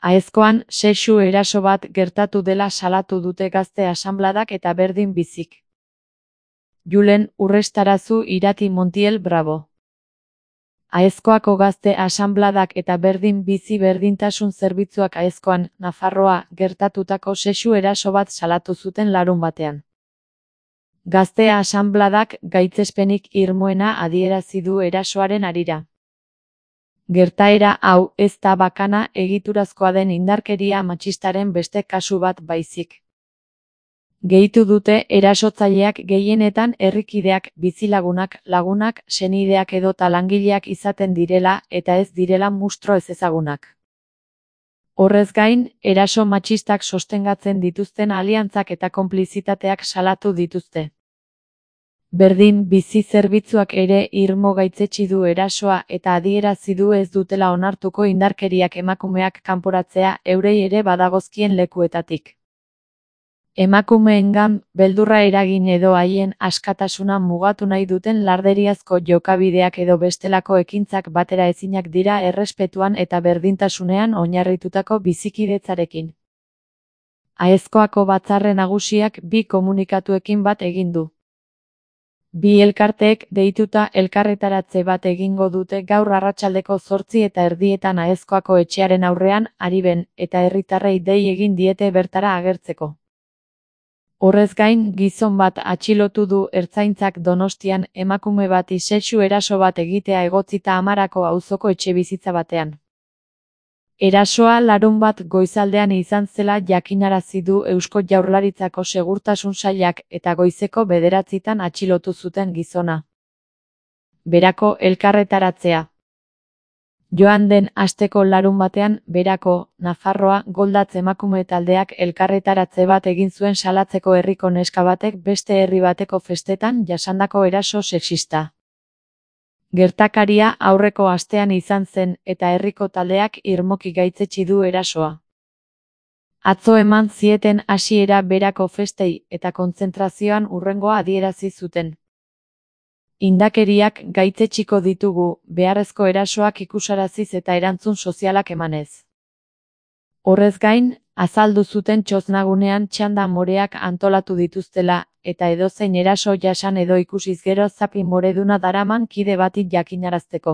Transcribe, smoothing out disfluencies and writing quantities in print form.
Aezkoan sexu eraso bat gertatu dela salatu dute Gazte Asanbladak eta Berdin Bizik. Julen Urrestarazu Irati Montiel Bravo. Aezkoako Gazte Asanbladak eta Berdin Bizi Berdintasun Zerbitzuak Aezkoan, Nafarroa, gertatutako sexu eraso bat salatu zuten larunbatean. Gazte Asanbladak gaitzespenik irmoena adierazi du erasoaren harira. Gertaera hau ez da bakana egiturazkoa den indarkeria matxistaren beste kasu bat baizik. Gehitu dute erasotzaileak gehienetan herrikideak, bizilagunak, lagunak, senideak edota langileak izaten direla eta ez direla mustro ezezagunak. Horrez gain, eraso matxistak sostengatzen dituzten aliantzak eta konplizitateak salatu dituzte. Berdin Bizi Zerbitzuak ere irmo gaitzetsi du erasoa eta adierazi du ez dutela onartuko indarkeriak emakumeak kanporatzea eurei ere badagozkien lekuetatik. Emakumeengan beldurra eragin edo haien askatasuna mugatu nahi duten larderiazko jokabideak edo bestelako ekintzak batera ezinak dira errespetuan eta berdintasunean oinarritutako bizikidetzarekin. Aezkoako Batzarre Nagusiak bi komunikatuekin bat egin du. Bi elkarteek deituta elkarretaratze bat egingo dute gaur arratsaldeko 8:30 Aezkoako etxearen aurrean, Ariben, eta herritarrei dei egin diete bertara agertzeko. Horrez gain, gizon bat atxilotu du Ertzaintzak Donostian emakume bati sexu eraso bat egitea egotzita Amarako auzoko etxebizitza batean. Erasoa larunbat goizaldean izan zela jakinarazi du Eusko Jaurlaritzako Segurtasun Sailak eta goizeko 9:00 atxilotu zuten gizona. Berako elkarretaratzea. Joan den asteko larunbatean, Berako, Nafarroa, Goldatz emakume taldeak elkarretaratze bat egin zuen salatzeko herriko neska batek beste herri bateko festetan jasandako eraso sexista. Gertakaria aurreko astean izan zen eta herriko taldeak irmoki gaitzetsi du erasoa. Atzo eman zieten hasiera Berako festei eta kontzentrazioan hurrengoa adierazi zuten. Indakeriak gaitzetsiko ditugu, beharrezko erasoak ikusaraziz eta erantzun sozialak emanez. Horrez gain, azaldu zuten txoznagunean txanda moreak antolatu dituztela, eta edozein eraso jasan edo ikusiz gero zapi moreduna daraman kide bati jakinarazteko.